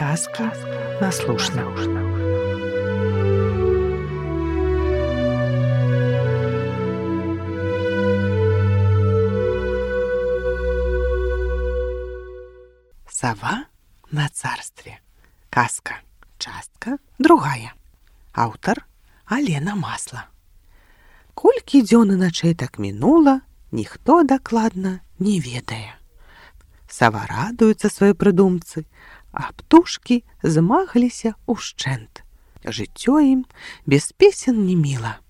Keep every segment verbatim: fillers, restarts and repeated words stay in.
Казки на слушно. Сова на царстве. Казка. Частка другая. Аўтар Алена Масла. Колькі дзён і начэй так мінула, ніхто дакладна не ведае. Сава радуецца сваёй прыдумцы, а птушкі змагліся ўшчэнт. Жыццё ім без песен не міла.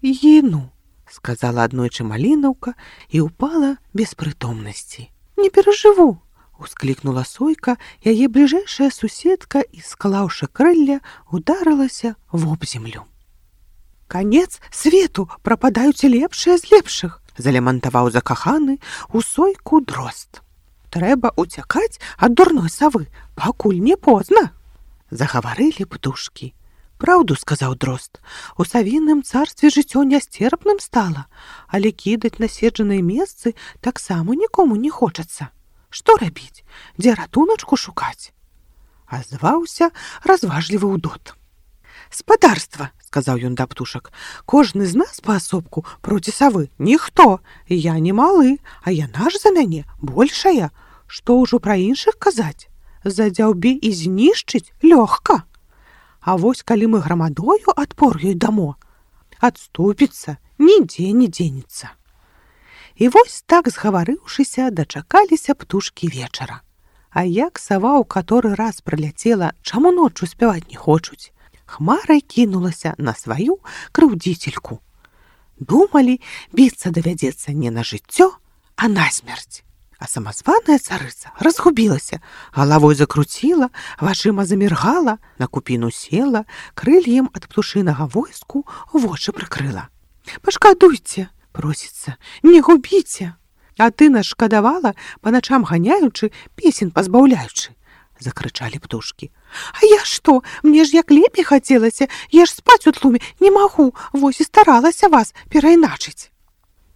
«Гіну», — сказала аднойчы малінаўка і ўпала без прытомнасці. «Не перажыву», — усклікнула сойка, яе бліжэйшая суседка і, склаўшы крылля, ударылася вобземлю. «Канец свету, прападаюць лепшыя з лепшых», — залямантаваў закаханы у сойку дрозд. «Трэба уцякаць ад дурной савы, пакуль не позна», — загаварылі птушкі. «Праўду, — сказаў дрозд, — у савіным царстве жыццё нясцерпным стала, але кідаць наседжаныя месцы таксама нікому не хочацца. Што рабіць? Дзе ратуначку шукаць?» Азваўся разважлівы ўдот. «Спадарства, — сказаў ён да птушак, — кожны з нас паасобку проці савы ніхто. Я не малы, а яна ж за мяне большая. Што ўжо пра іншых казаць? Задзяўбе і знішчыць лёгка. А вось калі мы грамадою адпор ёй дамо, адступіцца, нідзе не дзенецца». І вось так, згаварыўшыся, дачакаліся птушкі вечара. А як сава ў каторы раз прыляцела, чаму ноччу спяваць не хочуць, хмарай кінулася на сваю крыўдзіцельку. Думалі, біцца давядзецца не на жыццё, а на смерць. А самазваная царыца разгубілася, галавой закруціла, вачыма заміргала, на купіну села, крыльем ад птушынага войску вочы прыкрыла. «Пашкадуйце, — просіцца, — не губіце. А ты нас шкадавала, па начам ганяючы, песен пазбаўляючы», — закрычалі птушкі. «А я што? Мне ж як лепей хацелася, я ж спаць у тлуме не магу, вось і старалася вас перайначыць».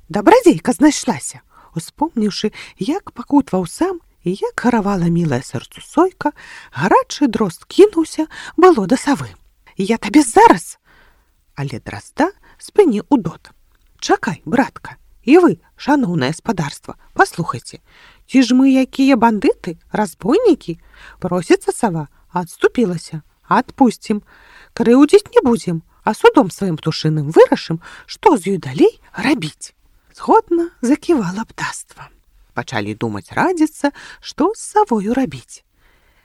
Дабрадзейка знайшлася. Успомніўшы, як пакутваў сам і як гаравала мілая сэрцу сойка, гарачы дрозд кінуўся было да савы. «Я табе зараз!» Але дрозда спыніў удот. «Чакай, братка, і вы, шаноўнае спадарства, паслухайце, ці ж мы якія бандыты, разбойнікі? Просіцца сава, адступілася, адпусцім, крыўдзіць не будзем, а судом сваім птушыным вырашым, што з ёй далей рабіць». Згодна заківала птаства. Пачалі думаць радзіцца, што з савою рабіць.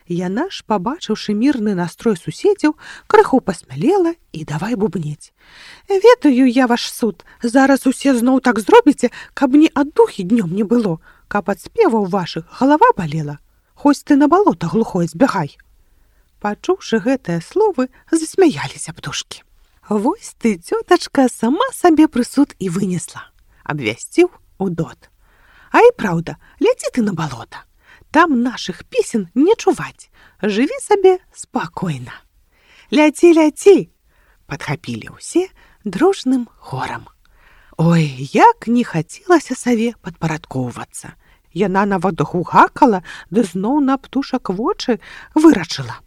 Яна ж, пабачыўшы мірны настрой суседзяў, крыху пасмялела і давай бубнець. «Ведаю я ваш суд, зараз усе зноў так зробіце, каб мне аддухі днём не было, каб ад спеваў вашых галава балела. Хоць ты на балота глухое збягай». Пачуўшы гэтыя словы, засмяяліся птушкі. «Вось ты, цётачка, сама сабе прысуд і вынесла», — абвясціў удот. «А і праўда, ляці ты на балота. Там нашых песен не чуваць. Жыві сабе спакойна». «Ляці, ляці!» — падхапілі ўсе дружным хорам. Ой, як не хацелася саве падпарадкоўвацца. Яна нават гукала, ды зноў на птушак вочы вырачыла.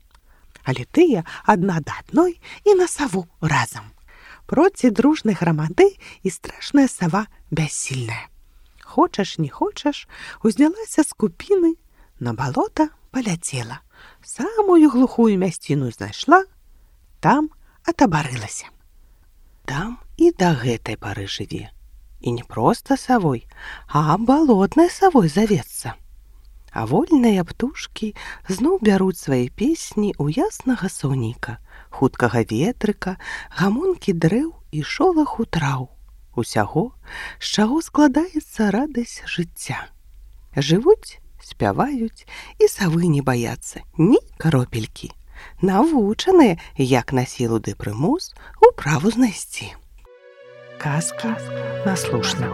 Але тыя адна да адной і на саву разам. Проці дружнай грамады і страшная сава бяссільная. Хочаш, не хочаш, узнялася з купіны, на балота паляцела, самую глухую мясціну знайшла, там атабарылася. Там і да гэтай пары жыве. І не проста савой, а балотнай савой завецца. А вольныя птушкі зноў бяруць свае песні ў яснага сонейка, хуткага ветрыка, гамонкі дрэў і шолаху траў. Усяго, з чаго складаецца радасць жыцця. Жывуць, спяваюць і савы не баяцца ні каропелькі. Навучаныя, як на сілу ды прымус, управу знайсці. Казкі на слушна.